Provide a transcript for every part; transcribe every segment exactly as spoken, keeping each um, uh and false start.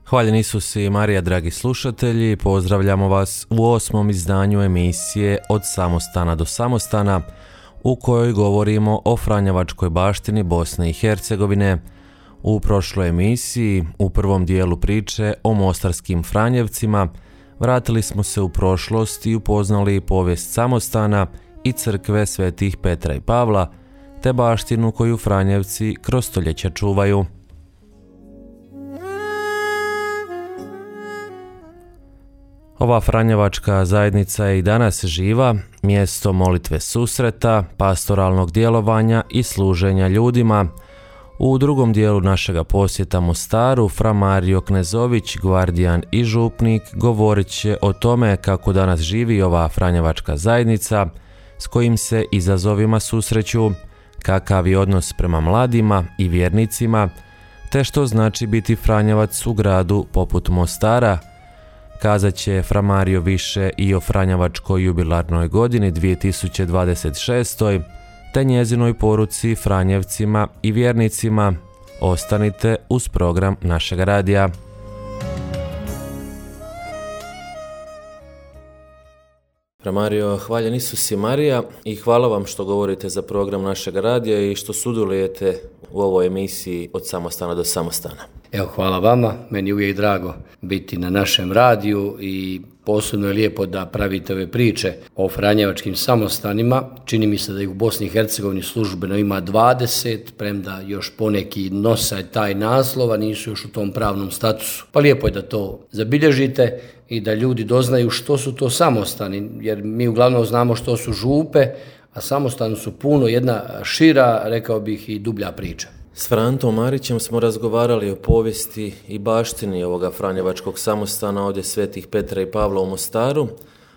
Hvaljen Isus i Marija, dragi slušatelji, pozdravljamo vas u osmom izdanju emisije Od samostana do samostana, u kojoj govorimo o franjevačkoj baštini Bosne i Hercegovine. U prošloj emisiji, u prvom dijelu priče o mostarskim Franjevcima, vratili smo se u prošlost i upoznali povijest samostana i crkve svetih Petra i Pavla, te baštinu koju Franjevci kroz stoljeća čuvaju. Ova franjevačka zajednica je i danas živa, mjesto molitve susreta, pastoralnog djelovanja i služenja ljudima. U drugom dijelu našega posjeta Mostaru, fra Mario Knezović, gvardijan i župnik, govorit će o tome kako danas živi ova franjevačka zajednica, s kojim se izazovima susreću, kakav je odnos prema mladima i vjernicima, te što znači biti Franjevac u gradu poput Mostara. Kazat će fra Mario više i o franjevačkoj jubilarnoj godini dvije tisuće dvadeset šestoj. te njezinoj poruci Franjevcima i vjernicima. Ostanite uz program našeg radija. Fra Mario, hvaljen Isus i Marija i hvala vam što govorite za program našeg radija i što sudjelujete u ovoj emisiji Od samostana do samostana. Evo, hvala vama, meni je uvijek drago biti na našem radiju i posebno je lijepo da pravite ove priče o franjevačkim samostanima. Čini mi se da ih u Bosni i Hercegovini službeno ima dvadeset, premda još poneki nose taj naslov, a nisu još u tom pravnom statusu. Pa lijepo je da to zabilježite i da ljudi doznaju što su to samostani, jer mi uglavnom znamo što su župe, a samostani su puno jedna šira, rekao bih, i dublja priča. S Frantom Marićem smo razgovarali o povijesti i baštini ovoga franjevačkog samostana ovdje svetih Petra i Pavla u Mostaru,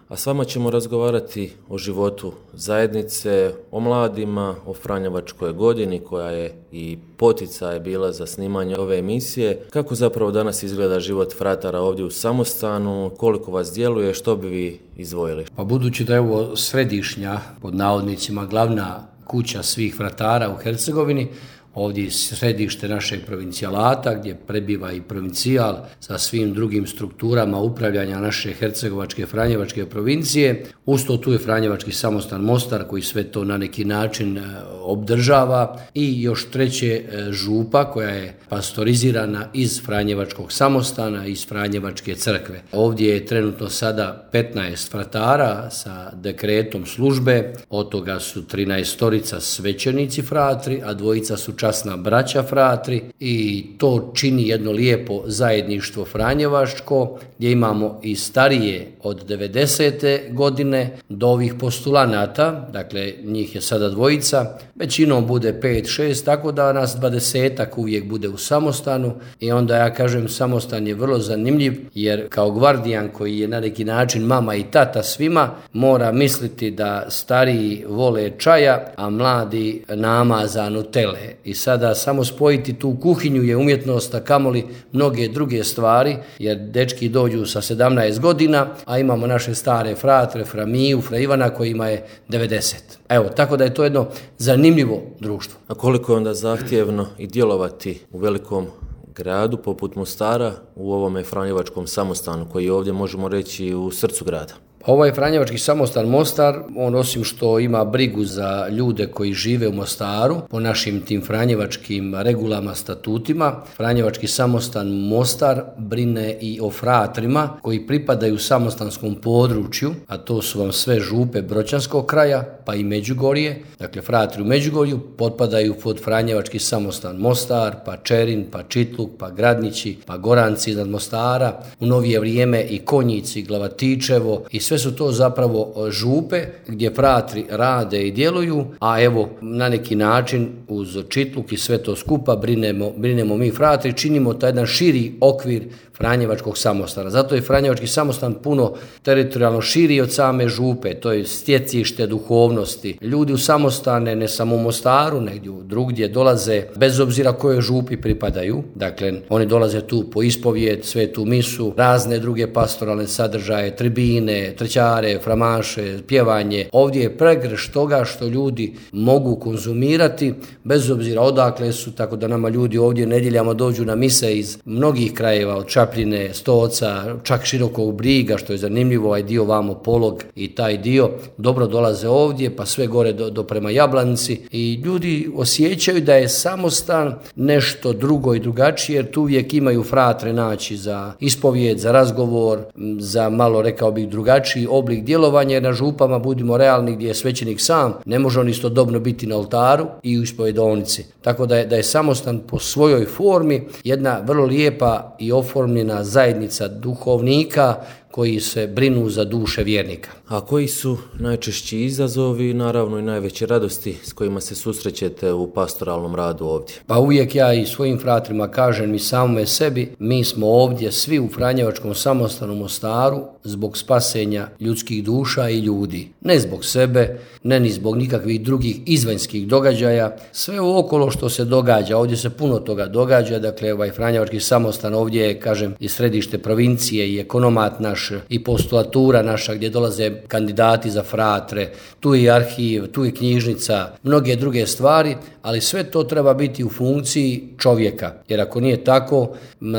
a s vama ćemo razgovarati o životu zajednice, o mladima, o franjevačkoj godini koja je i poticaj bila za snimanje ove emisije. Kako zapravo danas izgleda život fratara ovdje u samostanu, koliko vas djeluje, što bi vi izdvojili? Pa budući da je ovo središnja, pod navodnicima, glavna kuća svih fratara u Hercegovini, ovdje je središte našeg provincijalata gdje prebiva i provincijal sa svim drugim strukturama upravljanja naše hercegovačke franjevačke provincije. Usto tu je franjevački samostan Mostar koji sve to na neki način obdržava i još treće župa koja je pastorizirana iz franjevačkog samostana, iz franjevačke crkve. Ovdje je trenutno sada petnaest fratara sa dekretom službe, od toga su trinaestorica svećenici fratri, a dvojica su časna braća fratri i to čini jedno lijepo zajedništvo franjevačko gdje imamo i starije od devedesete godine do ovih postulanata, dakle njih je sada dvojica, većinom bude pet šest, tako da nas dvadesetak uvijek bude u samostanu i onda ja kažem samostan je vrlo zanimljiv jer kao gvardijan koji je na neki način mama i tata svima mora misliti da stariji vole čaja, a mladi namaza Nutele. I sada samo spojiti tu kuhinju je umjetnost, a kamoli mnoge druge stvari, jer dečki dođu sa sedamnaest godina, a imamo naše stare fratre, fra Miju, fra Ivana kojima je devedeset. Evo, tako da je to jedno zanimljivo društvo. A koliko je onda zahtjevno i djelovati u velikom gradu poput Mostara u ovome franjevačkom samostanu koji je ovdje, možemo reći, u srcu grada? Ovaj franjevački samostan Mostar, on osim što ima brigu za ljude koji žive u Mostaru, po našim tim franjevačkim regulama, statutima, franjevački samostan Mostar brine i o fratrima koji pripadaju samostanskom području, a to su vam sve župe Bročanskog kraja, pa i Međugorje. Dakle, fratri u Međugorju potpadaju pod franjevački samostan Mostar, pa Čerin, pa Čitluk, pa Gradnići, pa Goranci iznad Mostara, u novije vrijeme i Konjici, Glavatičevo i sve su to zapravo župe gdje fratri rade i djeluju, a evo na neki način uz Čitluk i sve to skupa brinemo, brinemo mi fratri, činimo taj jedan širi okvir franjevačkog samostana. Zato je franjevački samostan puno teritorijalno širi od same župe, to je stjecište duhovnosti. Ljudi u samostane, ne samo u Mostaru, negdje drugdje dolaze, bez obzira kojoj župi pripadaju. Dakle, oni dolaze tu po ispovijed, svetu misu, razne druge pastoralne sadržaje, tribine, trećare, framaše, pjevanje. Ovdje je pregrš toga što ljudi mogu konzumirati, bez obzira odakle su, tako da nama ljudi ovdje nedjeljama dođu na mise iz mnogih krajeva, od Čapljine, Stoca, čak Širokog Briga, što je zanimljivo, ovaj dio vamo Polog i taj dio, dobro dolaze ovdje, pa sve gore do, do prema Jablanici i ljudi osjećaju da je Samostan nešto drugo i drugačije, jer tu uvijek imaju fratre naći za ispovijed, za razgovor, za malo, rekao bih, drugačiji oblik djelovanja, jer na župama, budimo realni, gdje je svećenik sam, ne može on istodobno biti na oltaru i u ispovedovnici. Tako da je, da je Samostan po svojoj formi jedna vrlo lijepa i oformljena zajednica duhovnika koji se brinu za duše vjernika. A koji su najčešći izazovi i naravno i najveće radosti s kojima se susrećete u pastoralnom radu ovdje? Pa uvijek ja i svojim fratrima kažem i samome sebi, mi smo ovdje svi u Franjevačkom Samostanu Mostaru zbog spasenja ljudskih duša i ljudi. Ne zbog sebe, ne ni zbog nikakvih drugih izvanjskih događaja. Sve okolo što se događa, ovdje se puno toga događa, dakle ovaj Franjevački Samostan ovdje je, kažem, i središte provincije i ekonomat naš i postulatura naša gdje dolaze kandidati za fratre, tu je arhiv, tu je knjižnica, mnoge druge stvari, ali sve to treba biti u funkciji čovjeka, jer ako nije tako,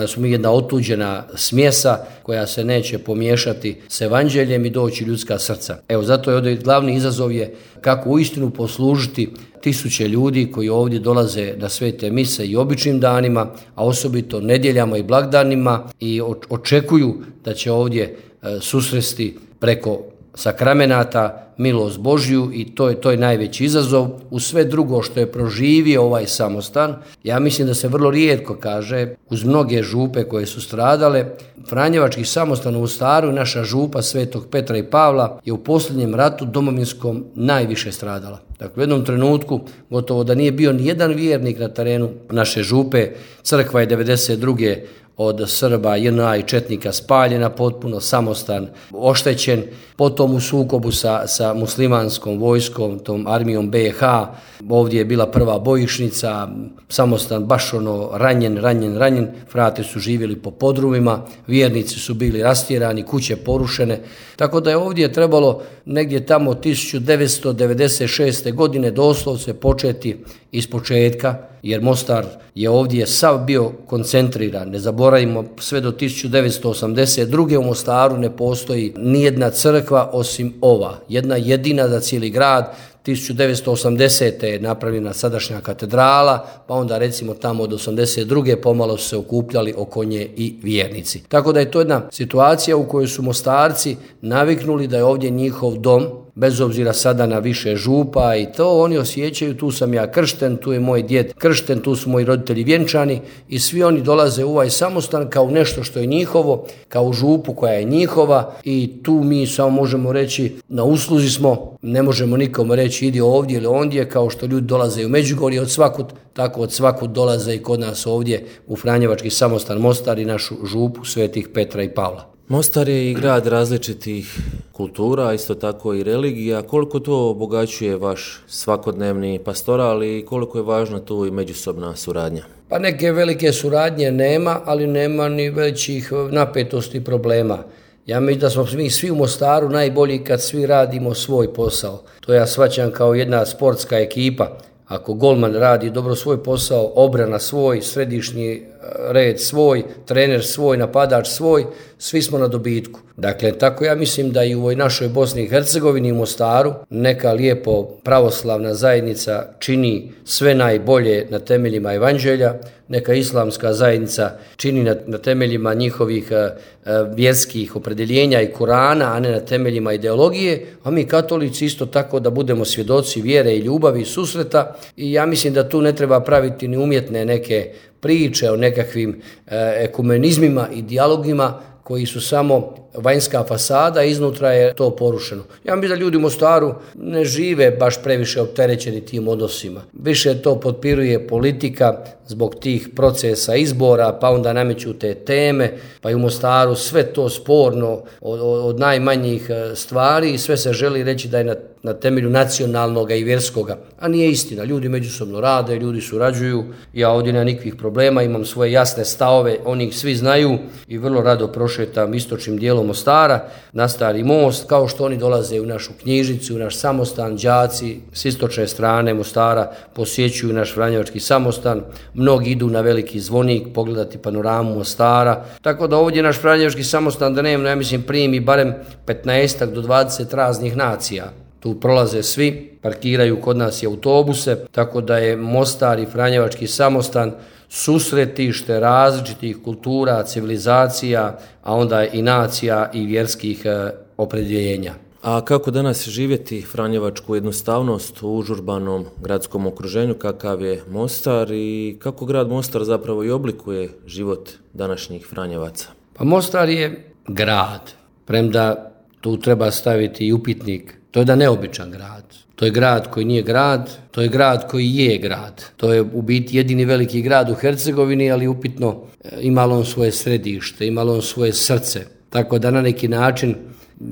smo mi jedna otuđena smjesa koja se neće pomiješati s evanđeljem i doći ljudska srca. Evo, zato je ovdje glavni izazov je kako uistinu poslužiti tisuće ljudi koji ovdje dolaze na svete mise i običnim danima, a osobito nedjeljama i blagdanima i očekuju da će ovdje susresti preko sakramenata milost Božju i to je, to je najveći izazov. U sve drugo što je proživio ovaj Samostan, ja mislim da se vrlo rijetko kaže, uz mnoge župe koje su stradale, Franjevački Samostan u Mostaru i naša župa Svetog Petra i Pavla je u posljednjem ratu domovinskom najviše stradala. Dakle, u jednom trenutku gotovo da nije bio ni jedan vjernik na terenu naše župe, crkva je devedeset druge od Srba, J N A i četnika spaljena, potpuno Samostan oštećen, potom u sukobu sa, sa muslimanskom vojskom, tom armijom B H, ovdje je bila prva bojišnica, Samostan baš ono ranjen, ranjen, ranjen, frate su živjeli po podrumima, vjernici su bili rastjerani, kuće porušene, tako da je ovdje trebalo negdje tamo tisuću devetsto devedeset šeste godine doslovce početi iz početka, jer Mostar je ovdje sav bio koncentriran. Ne zaboravimo, sve do tisuću devetsto osamdeset druge u Mostaru ne postoji nijedna crkva osim ova. Jedna jedina za cijeli grad. tisuću devetsto osamdesete je napravljena sadašnja katedrala, pa onda recimo tamo od osamdeset druge pomalo su se okupljali oko nje i vjernici. Tako da je to jedna situacija u kojoj su Mostarci naviknuli da je ovdje njihov dom, bez obzira sada na više župa i to, oni osjećaju, tu sam ja kršten, tu je moj djed kršten, tu su moji roditelji vjenčani i svi oni dolaze u ovaj Samostan kao nešto što je njihovo, kao u župu koja je njihova i tu mi samo možemo reći na usluzi smo, ne možemo nikom reći idi ovdje ili ondje, kao što ljudi dolaze u Međugorje od svakud, tako od svakud dolaze i kod nas ovdje u Franjevački Samostan Mostar i našu župu Svetih Petra i Pavla. Mostar je i grad različitih kultura, isto tako i religija. Koliko to obogaćuje vaš svakodnevni pastoral i koliko je važna tu i međusobna suradnja? Pa neke velike suradnje nema, ali nema ni većih napetosti problema. Ja mislim da smo mi svi u Mostaru najbolji kad svi radimo svoj posao. To ja shvaćam kao jedna sportska ekipa. Ako golman radi dobro svoj posao, obrana svoj, središnji red svoj, trener svoj, napadač svoj, svi smo na dobitku. Dakle, tako ja mislim da i u ovoj našoj Bosni i Hercegovini i Mostaru neka lijepo pravoslavna zajednica čini sve najbolje na temeljima evanđelja, neka islamska zajednica čini na, na temeljima njihovih uh, vjerskih opredjeljenja i Kurana, a ne na temeljima ideologije, a mi katolici isto tako da budemo svjedoci vjere i ljubavi i susreta i ja mislim da tu ne treba praviti ni umjetne neke priče o nekakvim e, ekumenizmima i dijalogima koji su samo vanjska fasada, iznutra je to porušeno. Ja mislim da ljudi u Mostaru ne žive baš previše opterećeni tim odnosima. Više to potpiruje politika zbog tih procesa izbora, pa onda nameću te teme, pa i u Mostaru sve to sporno od, od najmanjih stvari i sve se želi reći da je na, na temelju nacionalnog i vjerskoga, a nije istina. Ljudi međusobno rade, ljudi surađuju, ja ovdje nemam nikakvih problema, imam svoje jasne stavove, oni ih svi znaju i vrlo rado prošetam istočnim dijelom Mostara na Stari most, kao što oni dolaze u našu knjižnicu, u naš samostan, đaci s istočne strane Mostara posjećuju naš franjevački samostan, mnogi idu na Veliki Zvonik pogledati panoramu Mostara, tako da ovdje naš franjevački samostan da nema, ja mislim, primi barem petnaest do dvadeset raznih nacija. Tu prolaze svi, parkiraju kod nas i autobuse, tako da je Mostar i franjevački samostan susretište različitih kultura, civilizacija, a onda i nacija i vjerskih e, opredjeljenja. A kako danas živjeti franjevačku jednostavnost u užurbanom gradskom okruženju kakav je Mostar i kako grad Mostar zapravo i oblikuje život današnjih Franjevaca? Pa Mostar je grad, premda tu treba staviti i upitnik. To je da neobičan grad. To je grad koji nije grad, to je grad koji je grad. To je u biti jedini veliki grad u Hercegovini, ali upitno imalo on svoje središte, imalo on svoje srce. Tako da na neki način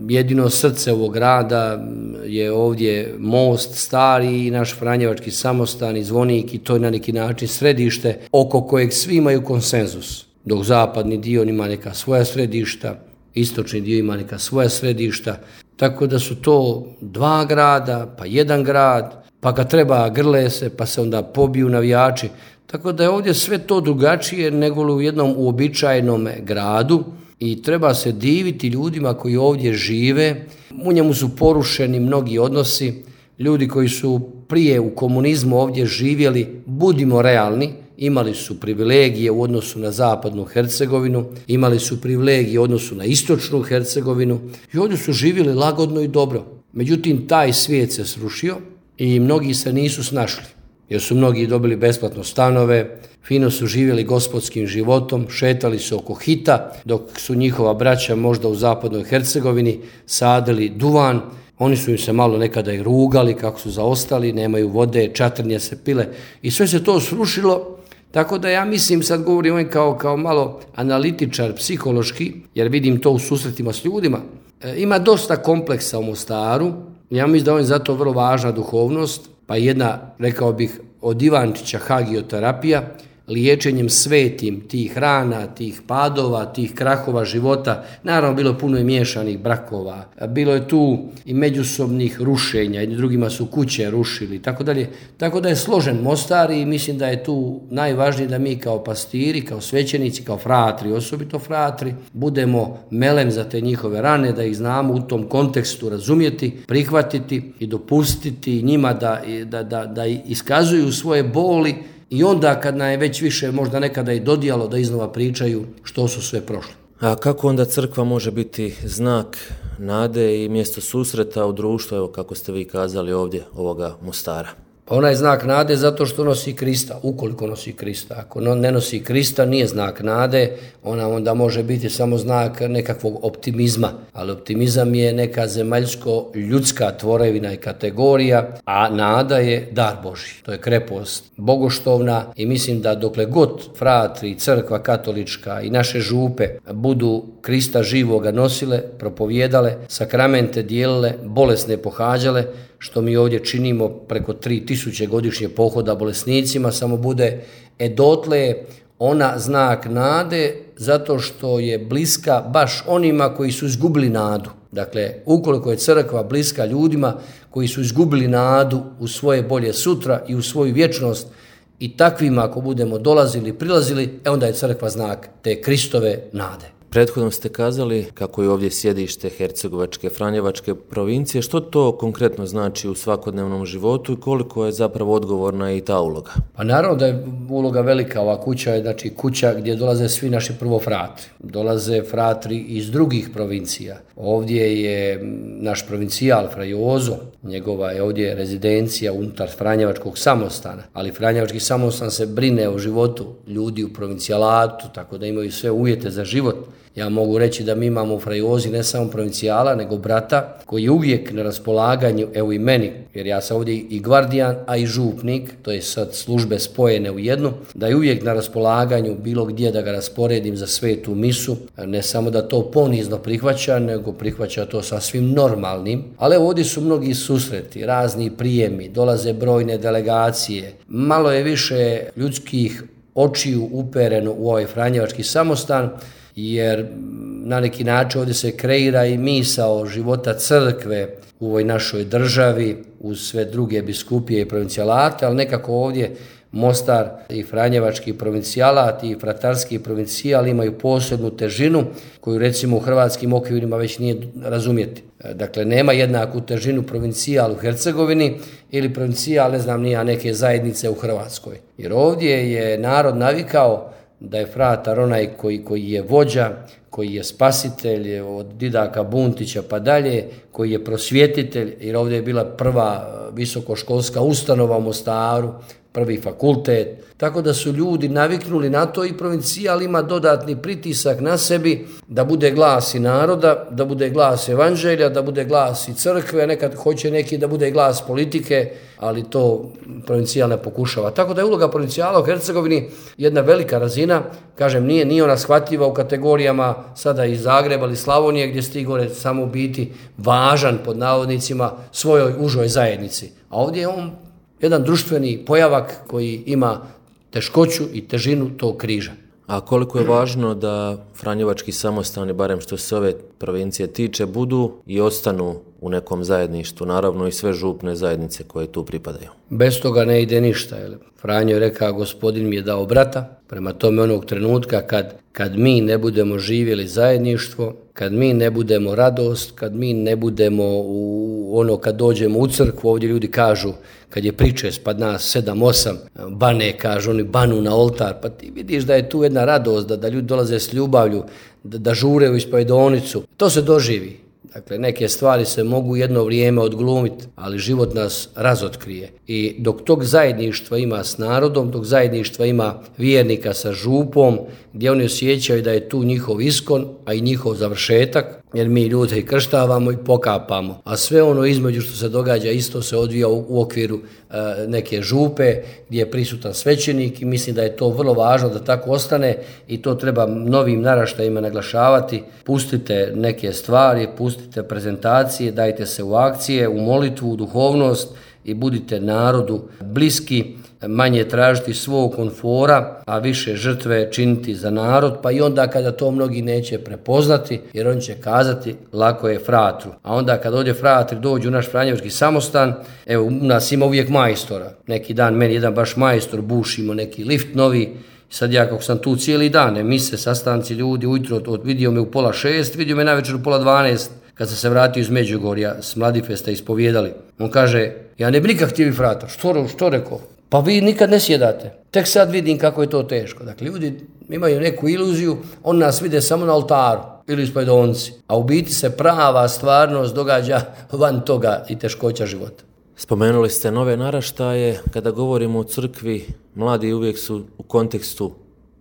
jedino srce ovog grada je ovdje most stari i naš franjevački samostan i Zvonik i to je na neki način središte oko kojeg svi imaju konsenzus. Dok zapadni dio ima neka svoja središta, istočni dio ima neka svoja središta, tako da su to dva grada, pa jedan grad, pa kad treba grle se, pa se onda pobiju navijači. Tako da je ovdje sve to drugačije nego u jednom uobičajenom gradu i treba se diviti ljudima koji ovdje žive. U njemu su porušeni mnogi odnosi, ljudi koji su prije u komunizmu ovdje živjeli, budimo realni, imali su privilegije u odnosu na zapadnu Hercegovinu, imali su privilegije u odnosu na istočnu Hercegovinu i ovdje su živjeli lagodno i dobro. Međutim, taj svijet se srušio i mnogi se nisu snašli, jer su mnogi dobili besplatno stanove, fino su živjeli gospodskim životom, šetali se oko hita, dok su njihova braća možda u zapadnoj Hercegovini sadili duvan. Oni su im se malo nekada i rugali kako su zaostali, nemaju vode, čatrnje se pile i sve se to srušilo. Tako da ja mislim, sad govorim kao, kao malo analitičar, psihološki, jer vidim to u susretima s ljudima, e, ima dosta kompleksa u Mostaru. Ja mislim da on je zato vrlo važna duhovnost, pa jedna, rekao bih, od Ivančića hagioterapija, liječenjem svetim tih rana, tih padova, tih krahova života. Naravno, bilo je puno i miješanih brakova, bilo je tu i međusobnih rušenja, jedni drugima su kuće rušili, tako dalje. Tako da je složen Mostar i mislim da je tu najvažnije da mi kao pastiri, kao svećenici, kao fratri, osobito fratri, budemo melem za te njihove rane, da ih znamo u tom kontekstu razumjeti, prihvatiti i dopustiti njima da, da, da, da iskazuju svoje boli. I onda kad nam je već više možda nekada i dodijalo da iznova pričaju što su sve prošli. A kako onda crkva može biti znak nade i mjesto susreta u društvu, evo kako ste vi kazali ovdje, ovoga Mostara? Pa ona je znak nade zato što nosi Krista, ukoliko nosi Krista. Ako ne nosi Krista, nije znak nade, ona onda može biti samo znak nekakvog optimizma. Ali optimizam je neka zemaljsko-ljudska tvorevina i kategorija, a nada je dar Božji. To je krepost bogoštovna i mislim da dokle god fratri, crkva katolička i naše župe budu Krista živoga nosile, propovjedale, sakramente dijelile, bolesne pohađale, što mi ovdje činimo preko tri tisuće godišnje pohoda bolesnicima, samo bude e dotle ona znak nade zato što je bliska baš onima koji su izgubili nadu. Dakle, ukoliko je crkva bliska ljudima koji su izgubili nadu u svoje bolje sutra i u svoju vječnost i takvima ako budemo dolazili, prilazili, e onda je crkva znak te Kristove nade. Prethodno ste kazali kako je ovdje sjedište Hercegovačke Franjevačke provincije. Što to konkretno znači u svakodnevnom životu i koliko je zapravo odgovorna i ta uloga? Pa naravno da je uloga velika. Ova kuća je znači kuća gdje dolaze svi naši prvo fratri. Dolaze fratri iz drugih provincija. Ovdje je naš provincijal Fra Jozo, njegova je ovdje rezidencija unutar Franjevačkog samostana, ali Franjevački samostan se brine o životu ljudi u provincijalatu, tako da imaju sve uvjete za život. Ja mogu reći da mi imamo u Frajozi ne samo provincijala, nego brata koji je uvijek na raspolaganju, evo i meni, jer ja sam ovdje i gvardijan, a i župnik, to je sad službe spojene u jednu, da je uvijek na raspolaganju bilo gdje da ga rasporedim za svetu misu, ne samo da to ponizno prihvaća, nego prihvaća to sasvim normalnim. Ali ovdje su mnogi susreti, razni prijemi, dolaze brojne delegacije, malo je više ljudskih očiju upereno u ovaj franjevački samostan, jer na neki način ovdje se kreira i misao života crkve u ovoj našoj državi uz sve druge biskupije i provincijalate, ali nekako ovdje Mostar i franjevački provincijalat i fratarski provincijal imaju posebnu težinu koju recimo u hrvatskim okvirima već nije razumjeti. Dakle, nema jednaku težinu provincijal u Hercegovini ili provincijal, ne znam, nija neke zajednice u Hrvatskoj. Jer ovdje je narod navikao da je fratar onaj koji, koji je vođa, koji je spasitelj od Didaka Buntića pa dalje, koji je prosvjetitelj, jer ovdje je bila prva visokoškolska ustanova u Mostaru, prvi fakultet, tako da su ljudi naviknuli na to i provincijal ima dodatni pritisak na sebi da bude glas i naroda, da bude glas evanđelja, da bude glas i crkve, nekad hoće neki da bude glas politike, ali to provincijal ne pokušava. Tako da je uloga provincijala u Hercegovini jedna velika razina, kažem, nije, nije ona shvatljiva u kategorijama sada iz Zagreba ili Slavonije gdje ste gore samo biti važan pod navodnicima svojoj užoj zajednici. A ovdje je on jedan društveni pojavak koji ima teškoću i težinu tog križa. A koliko je važno da franjevački samostani, barem što se ove provincije tiče, budu i ostanu u nekom zajedništvu, naravno i sve župne zajednice koje tu pripadaju? Bez toga ne ide ništa. Franjo je rekao, gospodin mi je dao brata, prema tome onog trenutka kad, kad mi ne budemo živjeli zajedništvo, kad mi ne budemo radost, kad mi ne budemo u ono kad dođemo u crkvu, ovdje ljudi kažu, kad je pričest, pa nas sedam, osam, bane, kažu oni banu na oltar, pa ti vidiš da je tu jedna radost, da, da ljudi dolaze s ljubavlju, da, da žure u ispovedonicu. To se doživi. Dakle, neke stvari se mogu jedno vrijeme odglumiti, ali život nas razotkrije. I dok tog zajedništva ima s narodom, dok zajedništva ima vjernika sa župom, gdje oni osjećaju da je tu njihov iskon, a i njihov završetak, jer mi ljude i krštavamo i pokapamo. A sve ono između što se događa isto se odvija u, u okviru e, neke župe gdje je prisutan svećenik i mislim da je to vrlo važno da tako ostane i to treba novim naraštajima naglašavati. Pustite neke stvari, pustite prezentacije, dajte se u akcije, u molitvu, u duhovnost i budite narodu bliski, manje tražiti svog komfora, a više žrtve činiti za narod, pa i onda kada to mnogi neće prepoznati, jer on će kazati lako je fratru. A onda kad ovdje fratri dođu u naš franjevački samostan, evo u nas ima uvijek majstora. Neki dan meni jedan baš majstor, bušimo neki lift novi, sad ja kako sam tu cijeli dan, ne mise, sastanci ljudi, ujutro od, vidio me u pola šest, vidio me navečer u pola dvanaest, kad sam se vratio iz Međugorja, s Mladifesta ispovijedali. On kaže, ja ne bi nikak htio fratar, što, što rekao? Pa vi nikad ne sjedate. Tek sad vidim kako je to teško. Dakle, ljudi imaju neku iluziju, on nas vide samo na oltaru ili ispovedonci, a u biti se prava stvarnost događa van toga i teškoća života. Spomenuli ste nove naraštaje. Kada govorimo o crkvi, mladi uvijek su u kontekstu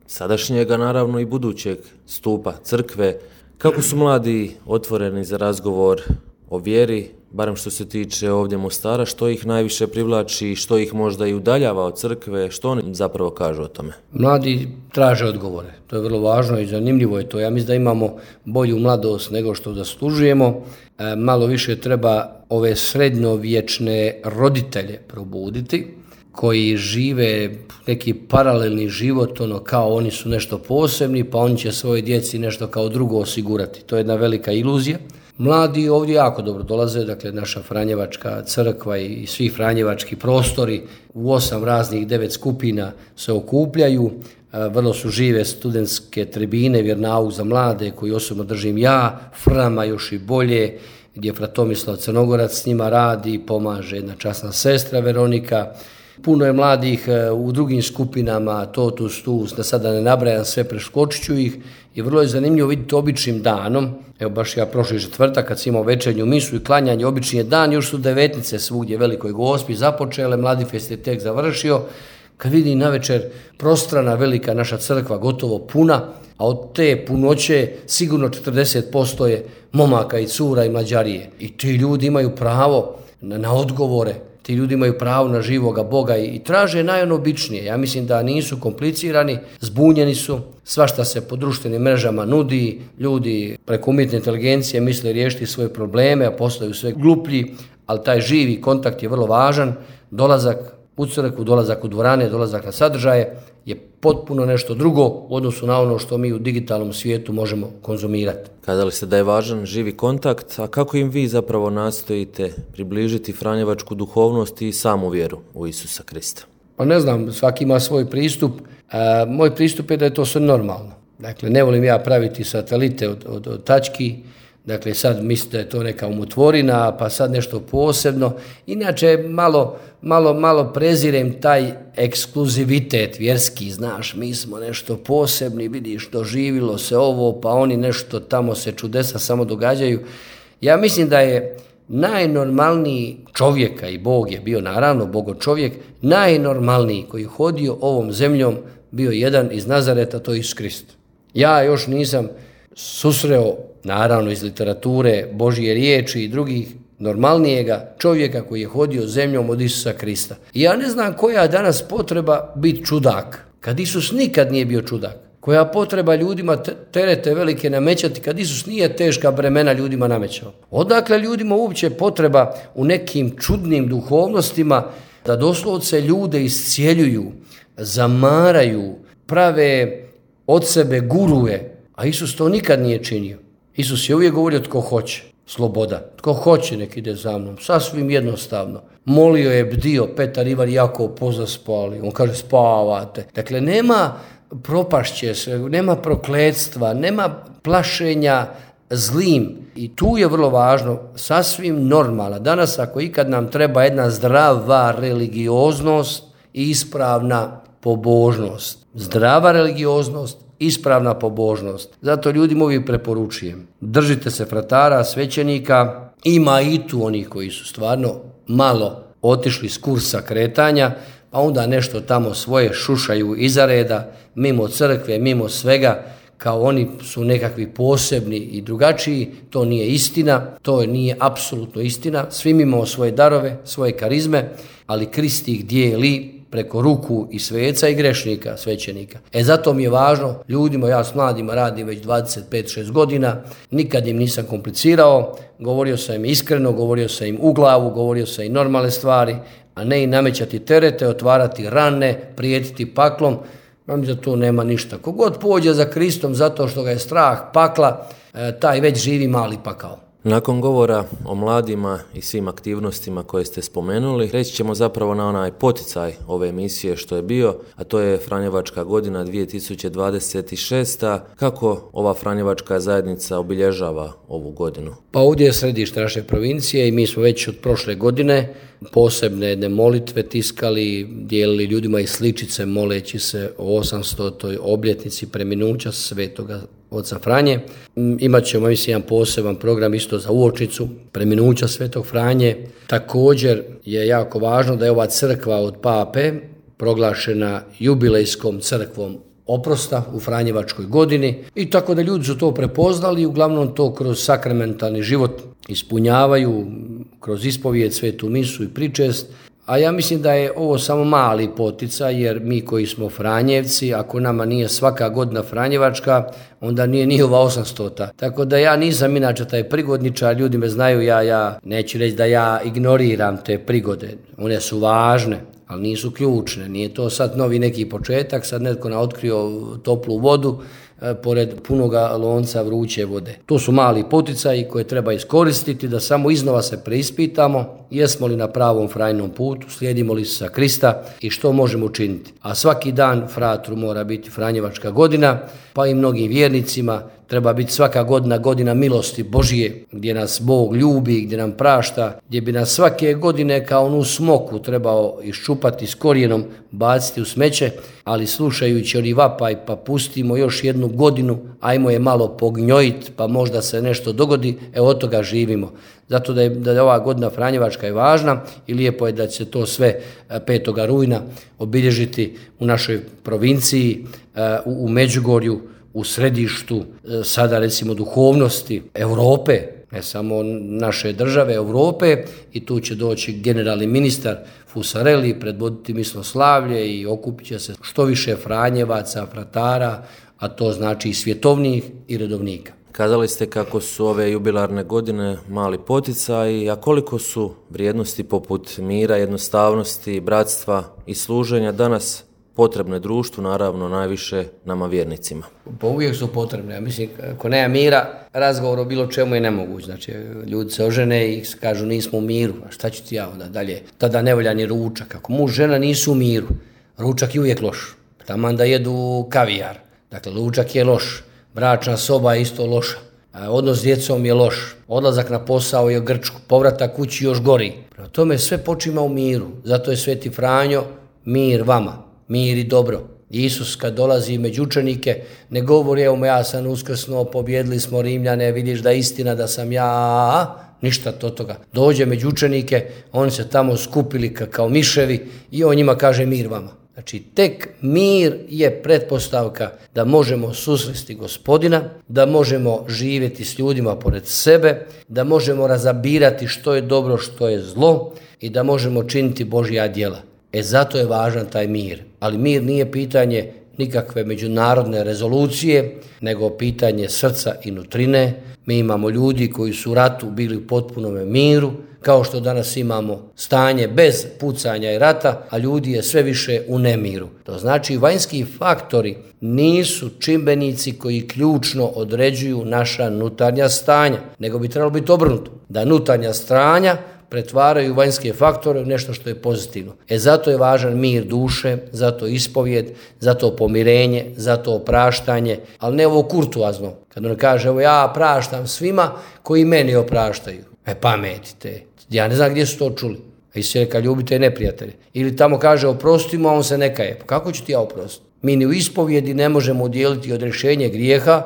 sadašnjega, naravno i budućeg stupa crkve. Kako su mladi otvoreni za razgovor o vjeri, barem što se tiče ovdje Mostara, što ih najviše privlači, što ih možda i udaljava od crkve, što oni zapravo kažu o tome? Mladi traže odgovore, to je vrlo važno i zanimljivo je to. Ja mislim da imamo bolju mladost nego što zaslužujemo. E, malo više treba ove srednjovječne roditelje probuditi, koji žive neki paralelni život, ono kao oni su nešto posebni, pa oni će svoje djeci nešto kao drugo osigurati. To je jedna velika iluzija. Mladi ovdje jako dobro dolaze, dakle naša franjevačka crkva i svi franjevački prostori u osam raznih devet skupina se okupljaju, vrlo su žive studentske tribine, vjernauk za mlade koji osobno držim ja, Frama još i bolje, gdje Fra Tomislav Crnogorac s njima radi, pomaže jedna časna sestra Veronika. Puno je mladih u drugim skupinama, Totus, Tus, da sada ne nabrajam sve, preskočit ću ih. I vrlo je zanimljivo vidjeti običnim danom, evo baš ja prošli četvrtak kad sam imao večernju misu i klanjanje, obični je dan, još su devetnice svugdje Velikoj Gospi započele, Mladifest je tek završio, Kad vidim navečer prostrana velika naša crkva gotovo puna, a od te punoće sigurno četrdeset posto je momaka i cura i mlađarije. I ti ljudi imaju pravo na, na odgovore, ti ljudi imaju pravo na živoga Boga i, i traže najobičnije. Ja mislim da nisu komplicirani, zbunjeni su, svašta se po društvenim mrežama nudi, ljudi preko umjetne inteligencije misle riješiti svoje probleme, a postaju sve gluplji, ali taj živi kontakt je vrlo važan, dolazak u crkvu, dolazak u dvorane, dolazak na sadržaje je potpuno nešto drugo u odnosu na ono što mi u digitalnom svijetu možemo konzumirati. Kazali ste da je važan živi kontakt, a kako im vi zapravo nastojite približiti franjevačku duhovnost i samu vjeru u Isusa Krista? Pa ne znam, svaki ima svoj pristup. A, moj pristup je da je to sve normalno. Dakle, ne volim ja praviti satelite od, od, od tački. Dakle, sad mislite da je to neka umotvorina, pa sad nešto posebno. Inače, malo, malo, malo prezirem taj ekskluzivitet vjerski, znaš, mi smo nešto posebni, vidiš, doživilo se ovo, pa oni nešto tamo se čudesa samo događaju. Ja mislim da je najnormalniji čovjeka, i Bog je bio naravno Bogo čovjek, najnormalniji koji je hodio ovom zemljom bio jedan iz Nazareta, to je Isus Krist. Ja još nisam susreo, naravno iz literature, Božje riječi i drugih, normalnijega čovjeka koji je hodio zemljom od Isusa Krista. I ja ne znam koja je danas potreba biti čudak, kad Isus nikad nije bio čudak. Koja potreba ljudima terete velike namećati, kad Isus nije teška bremena ljudima namećao. Odakle ljudima uopće potreba u nekim čudnim duhovnostima da doslovce ljude iscijeljuju, zamaraju, prave od sebe guruje, a Isus to nikad nije činio. Isus je uvijek govorio tko hoće, sloboda. Tko hoće nek ide za mnom, sasvim jednostavno. Molio je, bdio, Petar, Ivan, Jakov pozaspali. On kaže spavate. Dakle, nema propašće se, nema prokletstva, nema plašenja zlim. I tu je vrlo važno, sasvim normalno. Danas ako ikad nam treba jedna zdrava religioznost i ispravna pobožnost. Zdrava religioznost, ispravna pobožnost. Zato ljudima uvijek preporučujem. Držite se fratara, svećenika. Ima i tu onih koji su stvarno malo otišli s kursa kretanja, pa onda nešto tamo svoje šušaju iza reda, mimo crkve, mimo svega, kao oni su nekakvi posebni i drugačiji. To nije istina, to nije apsolutno istina. Svi imamo svoje darove, svoje karizme, ali Krist ih dijeli preko ruku i sveca i grešnika, svećenika. E zato mi je važno, ljudima, ja s mladima radim već dvadeset pet šest godina, nikad im nisam komplicirao, govorio sam im iskreno, govorio sam im u glavu, govorio sam im normalne stvari, a ne i namećati terete, otvarati rane, prijetiti paklom. Mam da tu nema ništa. Kogod pođe za Kristom zato što ga je strah pakla, taj već živi mali pakao. Nakon govora o mladima i svim aktivnostima koje ste spomenuli, reći ćemo zapravo na onaj poticaj ove emisije što je bio, a to je Franjevačka godina dvije tisuće dvadeset šesta. Kako ova Franjevačka zajednica obilježava ovu godinu? Pa ovdje je središte naše provincije i mi smo već od prošle godine posebne jedne molitve tiskali, dijelili ljudima i sličice moleći se o osamstotoj obljetnici preminuća svetoga oca Franje. Imat ćemo, mislim, jedan poseban program isto za uočnicu preminuća svetog Franje. Također je jako važno da je ova crkva od Pape proglašena jubilejskom crkvom oprosta u Franjevačkoj godini i tako da ljudi su to prepoznali i uglavnom to kroz sakramentalni život ispunjavaju, kroz ispovijed, svetu misu i pričest. A ja mislim da je ovo samo mali poticaj, jer mi koji smo Franjevci, ako nama nije svaka godina Franjevačka, onda nije ni ova osamstota. Tako da ja nisam inače taj prigodničar, ljudi me znaju, ja, ja neću reći da ja ignoriram te prigode. One su važne, ali nisu ključne. Nije to sad novi neki početak, sad netko na otkrio toplu vodu, pored punoga lonca vruće vode. To su mali poticaji koje treba iskoristiti da samo iznova se preispitamo jesmo li na pravom frajnom putu, slijedimo li Isusa Krista i što možemo učiniti. A svaki dan fratru mora biti Franjevačka godina, pa i mnogim vjernicima treba biti svaka godina godina milosti Božije, gdje nas Bog ljubi, gdje nam prašta, gdje bi nas svake godine kao onu smoku trebao iščupati s korijenom, baciti u smeće, ali slušajući oni vapaj, pa pustimo još jednu godinu, ajmo je malo pognjojiti, pa možda se nešto dogodi, e od toga živimo. Zato da je, da je ova godina Franjevačka je važna i lijepo je da će se to sve petog rujna obilježiti u našoj provinciji, u, u Međugorju, u središtu sada recimo duhovnosti Europe, ne samo naše države, Europe, i tu će doći generalni ministar Fusarelli, predvoditi misłoslavlje i okupit će se što više Franjevaca, fratara, a to znači i svjetovnih i redovnika. Kazali ste kako su ove jubilarne godine mali poticaj, a koliko su vrijednosti poput mira, jednostavnosti, bratstva i služenja danas potrebne društvu, naravno najviše nama vjernicima? Pa uvijek su potrebne. Ja mislim, ako nema mira, razgovor o bilo čemu je nemoguć. Znači, ljudi se ožene i kažu nismo u miru. A šta ću ti ja onda dalje? Tada ne volja ni ručak. Ako muž, žena nisu u miru, ručak je uvijek loš. Taman da jedu kavijar. Dakle, ručak je loš. Bračna soba je isto loša. Odnos s djecom je loš. Odlazak na posao je grčku. Povratak kući još gori. Prema tome sve počima u miru. Zato je Sveti Franjo mir vama. Mir i dobro. Isus kad dolazi među učenike ne govori evo ja sam uskrsnuo, pobjedili smo Rimljane, vidiš da je istina da sam ja, ništa to toga. Dođe među učenike, oni se tamo skupili kao miševi i on njima kaže mir vama. Znači tek mir je pretpostavka da možemo susresti Gospodina, da možemo živjeti s ljudima pored sebe, da možemo razabirati što je dobro, što je zlo i da možemo činiti Božja djela. E zato je važan taj mir. Ali mir nije pitanje nikakve međunarodne rezolucije, nego pitanje srca i nutrine. Mi imamo ljudi koji su u ratu bili u potpunome miru, kao što danas imamo stanje bez pucanja i rata, a ljudi je sve više u nemiru. To znači vanjski faktori nisu čimbenici koji ključno određuju naša unutarnja stanja, nego bi trebalo biti obrnuto, da unutarnja stanja pretvaraju vanjske faktore u nešto što je pozitivno. E zato je važan mir duše, zato ispovjed, zato pomirenje, zato opraštanje, ali ne ovo kurtuazno. Kad on kaže, evo ja praštam svima koji meni opraštaju. E pametite, ja ne znam gdje su to čuli. A Isus je rekao, ljubite neprijatelje. Ili tamo kaže, oprostimo, a on se ne kaje. Pa kako ću ti ja oprostiti? Mi ni u ispovjedi ne možemo udjeliti odrješenje grijeha.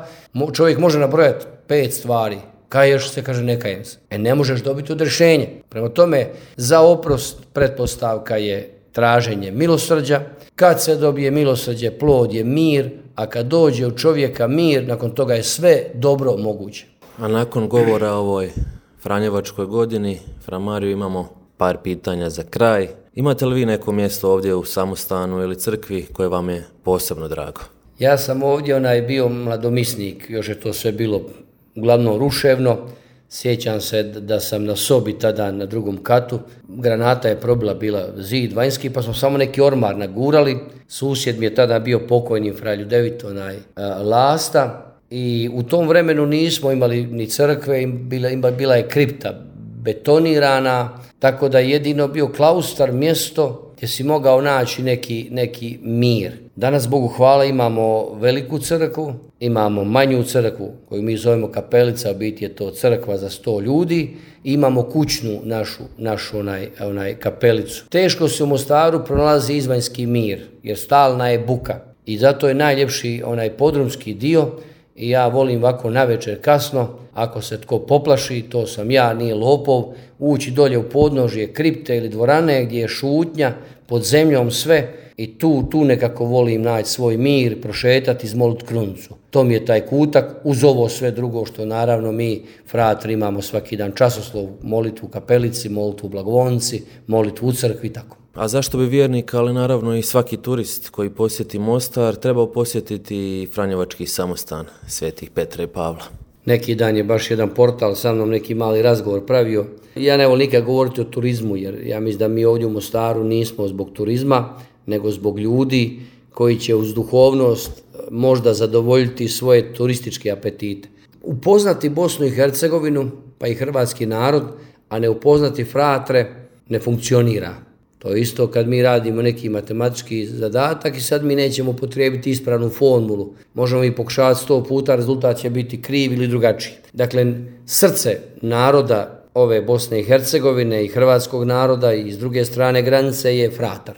Čovjek može nabrojati pet stvari. Kaješ se, kaže ne kajem se. E ne možeš dobiti odrješenje. Prema tome, za oprost pretpostavka je traženje milosrđa. Kad se dobije milosrđe, plod je mir, a kad dođe u čovjeka mir, nakon toga je sve dobro moguće. A nakon govora o ovoj Franjevačkoj godini, Fra Mariju, imamo par pitanja za kraj. Imate li vi neko mjesto ovdje u samostanu ili crkvi koje vam je posebno drago? Ja sam ovdje onaj bio mladomisnik, još je to sve bilo uglavnom ruševno. Sjećam se da sam na sobi tada na drugom katu. Granata je probila bila zid vanjski, pa smo samo neki ormar nagurali. Susjed mi je tada bio pokojni fra Ljudevit, onaj a, Lasta. I u tom vremenu nismo imali ni crkve, bila, bila je kripta betonirana, tako da je jedino bio klaustar, mjesto gdje si mogao naći neki, neki mir. Danas, Bogu hvala, imamo veliku crkvu, imamo manju crkvu koju mi zovemo kapelica, biti je to crkva za sto ljudi, i imamo kućnu našu, našu onaj, onaj kapelicu. Teško se u Mostaru pronalazi izvanjski mir, jer stalna je buka i zato je najljepši onaj podrumski dio. I ja volim ovako navečer kasno, ako se tko poplaši, to sam ja, nije lopov, ući dolje u podnožje kripte ili dvorane gdje je šutnja, pod zemljom sve, i tu, tu nekako volim naći svoj mir, prošetati, izmoliti krunicu. To mi je taj kutak, uz ovo sve drugo što naravno mi, fratri, imamo svaki dan časoslov, molitvu u kapelici, molitvu u blagovonici, molitvu u crkvi, tako. A zašto bi vjernik, ali naravno i svaki turist koji posjeti Mostar, trebao posjetiti Franjevački samostan Svetih Petra i Pavla? Neki dan je baš jedan portal sa mnom neki mali razgovor pravio. Ja ne volim nikad govoriti o turizmu, jer ja mislim da mi ovdje u Mostaru nismo zbog turizma, nego zbog ljudi koji će uz duhovnost možda zadovoljiti svoje turističke apetite. Upoznati Bosnu i Hercegovinu, pa i hrvatski narod, a ne upoznati fratre, ne funkcionira. To je isto kad mi radimo neki matematički zadatak i sad mi nećemo potrijebiti ispravnu formulu. Možemo i pokušavati sto puta, rezultat će biti kriv ili drugačiji. Dakle, srce naroda ove Bosne i Hercegovine i hrvatskog naroda i s druge strane granice je fratar.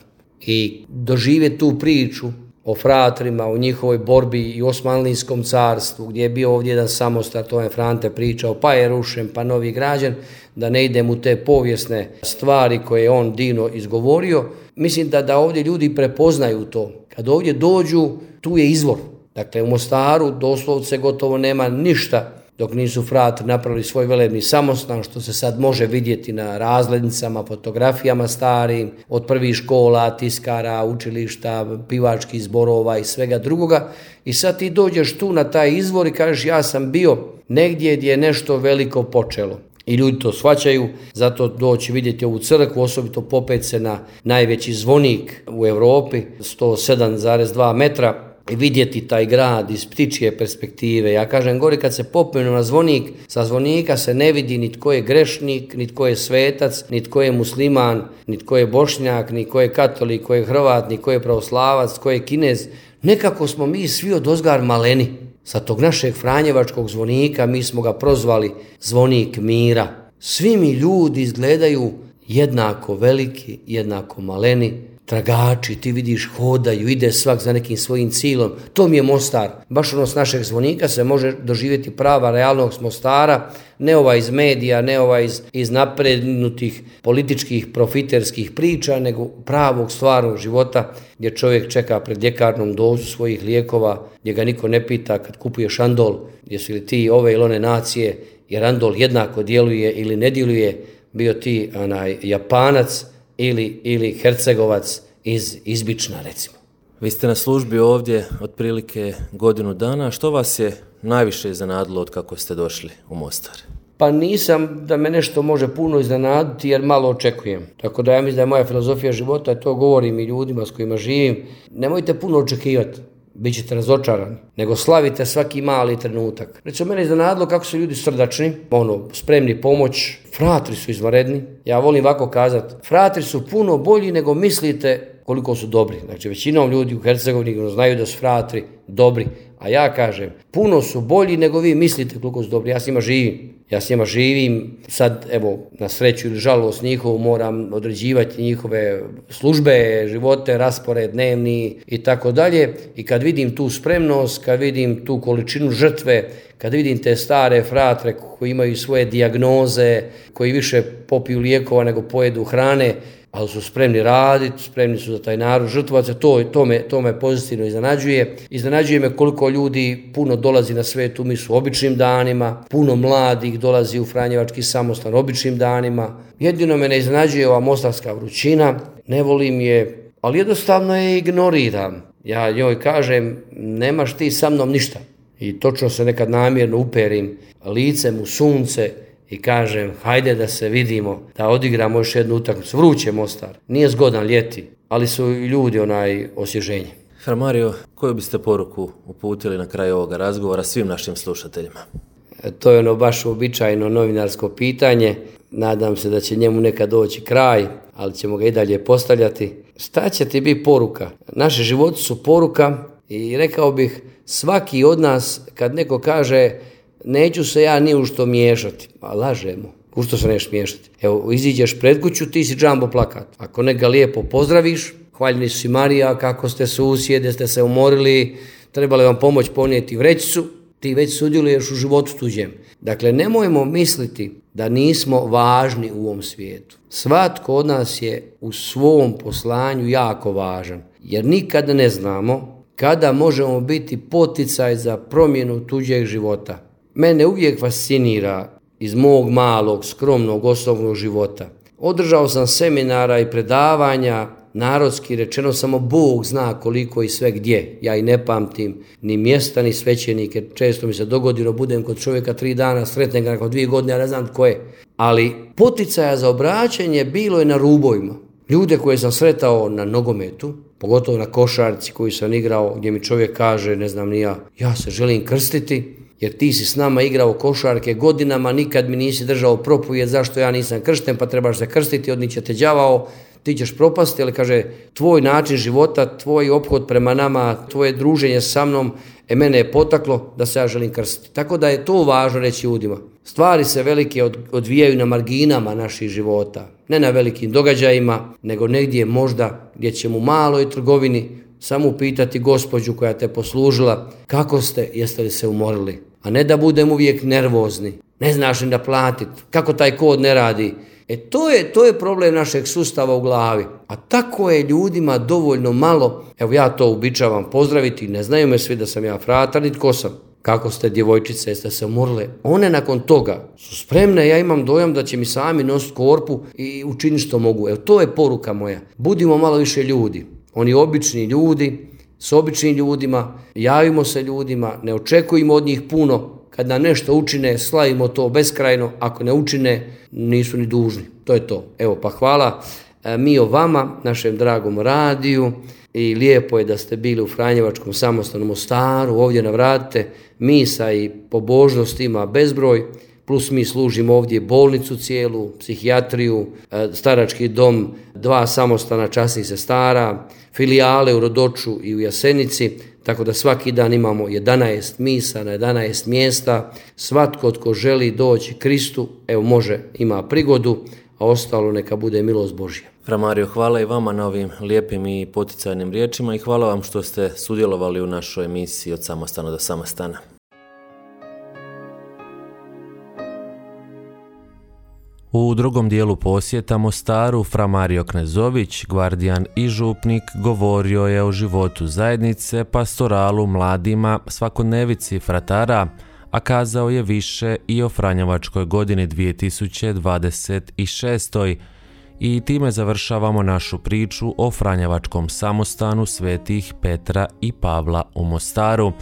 I doživjeti tu priču o fratrima, o njihovoj borbi i Osmanlijskom carstvu, gdje je bio ovdje jedan samostar, to je Frante pričao, pa je rušen, pa novi građen, da ne idem u te povijesne stvari koje je on divno izgovorio. Mislim da, da ovdje ljudi prepoznaju to. Kad ovdje dođu, tu je izvor. Dakle, u Mostaru doslovce gotovo nema ništa dok nisu fratri napravili svoj velebni samostan, što se sad može vidjeti na razglednicama, fotografijama starim, od prvih škola, tiskara, učilišta, pivačkih zborova i svega drugoga. I sad ti dođeš tu na taj izvor i kažeš ja sam bio negdje gdje je nešto veliko počelo. I ljudi to shvaćaju, zato doći vidjeti ovu crkvu, osobito popet se na najveći zvonik u Europi, sto sedam zarez dva metra, i vidjeti taj grad iz ptičje perspektive. Ja kažem, gori kad se popenu na zvonik, sa zvonika se ne vidi ni tko je grešnik, ni tko je svetac, ni tko je musliman, ni tko je bošnjak, ni tko je katolik, tko je Hrvat, ni tko je pravoslavac, tko je Kinez. Nekako smo mi svi odozgar maleni. Sa tog našeg franjevačkog zvonika mi smo ga prozvali zvonik mira. Svi mi ljudi izgledaju jednako veliki, jednako maleni, tragači, ti vidiš, hodaju, ide svak za nekim svojim cilom. To mi je Mostar. Baš ono s našeg zvonika se može doživjeti prava realnog Mostara, ne ova iz medija, ne ova iz, iz naprednutih političkih profiterskih priča, nego pravog stvarnog života gdje čovjek čeka pred ljekarnom dozu svojih lijekova, gdje ga niko ne pita kad kupuje šandol, jesu li ti ove ili one nacije, jer andol jednako djeluje ili ne djeluje, bio ti onaj Japanac, Ili, ili Hercegovac iz Izbična, recimo. Vi ste na službi ovdje otprilike godinu dana. Što vas je najviše iznenadilo od kako ste došli u Mostar? Pa nisam da me nešto može puno iznenaditi jer malo očekujem. Tako da ja mislim da je moja filozofija života, to govorim i ljudima s kojima živim, nemojte puno očekivati. Bićete razočarani, nego slavite svaki mali trenutak. Recimo, mene je iznenadilo kako su ljudi srdačni, ono, spremni pomoć, fratri su izvanredni. Ja volim ovako kazati, fratri su puno bolji nego mislite koliko su dobri. Znači, većinom ljudi u Hercegovini znaju da su fratri dobri, a ja kažem, puno su bolji nego vi mislite koliko su dobri. Ja s njima živim. Ja s njima živim, sad evo na sreću ili žalost njihovu moram određivati njihove službe, živote, raspored dnevni i tako dalje. I kad vidim tu spremnost, kad vidim tu količinu žrtve, kad vidim te stare fratre koji imaju svoje dijagnoze, koji više popiju lijekova nego pojedu hrane, ali su spremni raditi, spremni su za taj narod žrtvovati se, to, to, me, to me pozitivno iznenađuje. Iznenađuje me koliko ljudi puno dolazi na svetu misu običnim danima, puno mladih dolazi u franjevački samostan običnim danima. Jedino me ne iznenađuje ova mostarska vrućina, ne volim je, ali jednostavno je ignoriram. Ja njoj kažem, nemaš ti sa mnom ništa. I točno se nekad namjerno uperim licem u sunce i kažem, hajde da se vidimo, da odigramo još jednu utakmicu. Vruće Mostar, nije zgodan ljeti, ali su ljudi onaj osvježenje. Fra Mario, koju biste poruku uputili na kraju ovoga razgovora svim našim slušateljima? E, to je ono baš uobičajeno novinarsko pitanje. Nadam se da će njemu nekad doći kraj, ali ćemo ga i dalje postavljati. Šta će ti biti poruka? Naši životi su poruka i rekao bih, svaki od nas kad neko kaže neću se ja ni u što miješati, a lažemo, u što se neš miješati. Evo, iziđeš pred kuću, ti si džambo plakat. Ako neka lijepo pozdraviš, hvaljeni su si Marija, kako ste susjede, ste se umorili, trebali vam pomoć ponijeti vrećicu, ti već sudjeluješ u životu tuđem. Dakle, nemojmo misliti da nismo važni u ovom svijetu. Svatko od nas je u svom poslanju jako važan, jer nikad ne znamo kada možemo biti poticaj za promjenu tuđeg života. Mene uvijek fascinira iz mog malog, skromnog, osobnog života. Održao sam seminara i predavanja, narodski rečeno samo Bog zna koliko i sve gdje. Ja i ne pamtim ni mjesta, ni svećenike. Često mi se dogodi da budem kod čovjeka tri dana, sretnem ga nakon dvije godine, ja ne znam tko je. Ali poticaja za obraćanje bilo je na rubovima. Ljude koje sam sretao na nogometu, pogotovo na košarci koju sam igrao, gdje mi čovjek kaže, ne znam ni ja, ja se želim krstiti, jer ti si s nama igrao košarke godinama, nikad mi nisi držao propovijed zašto ja nisam kršten, pa trebaš se krstiti, odniće te đavao, ti ćeš propasti, ali kaže, tvoj način života, tvoj ophod prema nama, tvoje druženje sa mnom, e mene je potaklo da se ja želim krstiti. Tako da je to važno reći ljudima. Stvari se velike od, odvijaju na marginama naših života, ne na velikim događajima, nego negdje možda gdje ćemo u maloj trgovini samo upitati gospođu koja te poslužila kako ste, jeste li se umorili. A ne da budem uvijek nervozni, ne znaš ni da platiti, kako taj kod ne radi. E to je, to je problem našeg sustava u glavi. A tako je ljudima dovoljno malo, evo ja to uobičavam pozdraviti, ne znaju me svi da sam ja fratar, niti ko sam. Kako ste djevojčice, jeste se umorile? One nakon toga su spremne, ja imam dojam da će mi sami nositi korpu i učiniti što mogu. Evo to je poruka moja. Budimo malo više ljudi. Oni obični ljudi, s običnim ljudima, javimo se ljudima, ne očekujemo od njih puno. Kad nam nešto učine, slavimo to beskrajno, ako ne učine, nisu ni dužni. To je to. Evo, pa hvala mi o vama, našem dragom radiju, i lijepo je da ste bili u Franjevačkom samostanom Mostaru, ovdje navratite, misa i pobožnost ima bezbroj, plus mi služimo ovdje bolnicu cijelu, psihijatriju, starački dom, dva samostana časnih sestara, filijale u Rodoču i u Jasenici, tako da svaki dan imamo jedanaest misa na jedanaest mjesta. Svatko tko želi doći Kristu, evo može, ima prigodu, a ostalo neka bude milost Božja. Fra Mario, hvala i vama na ovim lijepim i poticajnim riječima i hvala vam što ste sudjelovali u našoj emisiji Od samostana do samostana. U drugom dijelu posjeta Mostaru, fra Mario Knezović, gvardijan i župnik, govorio je o životu zajednice, pastoralu, mladima, svakodnevici fratara, a kazao je više i o Franjevačkoj godini dvije tisuće dvadeset šeste. I time završavamo našu priču o Franjevačkom samostanu svetih Petra i Pavla u Mostaru.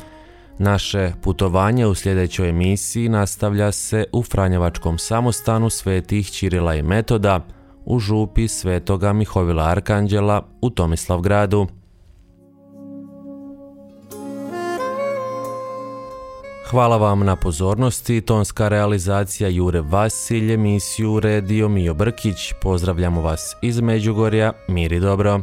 Naše putovanje u sljedećoj emisiji nastavlja se u Franjevačkom samostanu svetih Ćirila i Metoda u župi svetoga Mihovila Arkanđela u Tomislavgradu. Hvala vam na pozornosti, tonska realizacija Jure Vasilj, emisiju uredio Mijo Brkić. Pozdravljamo vas iz Međugorja, mir i dobro.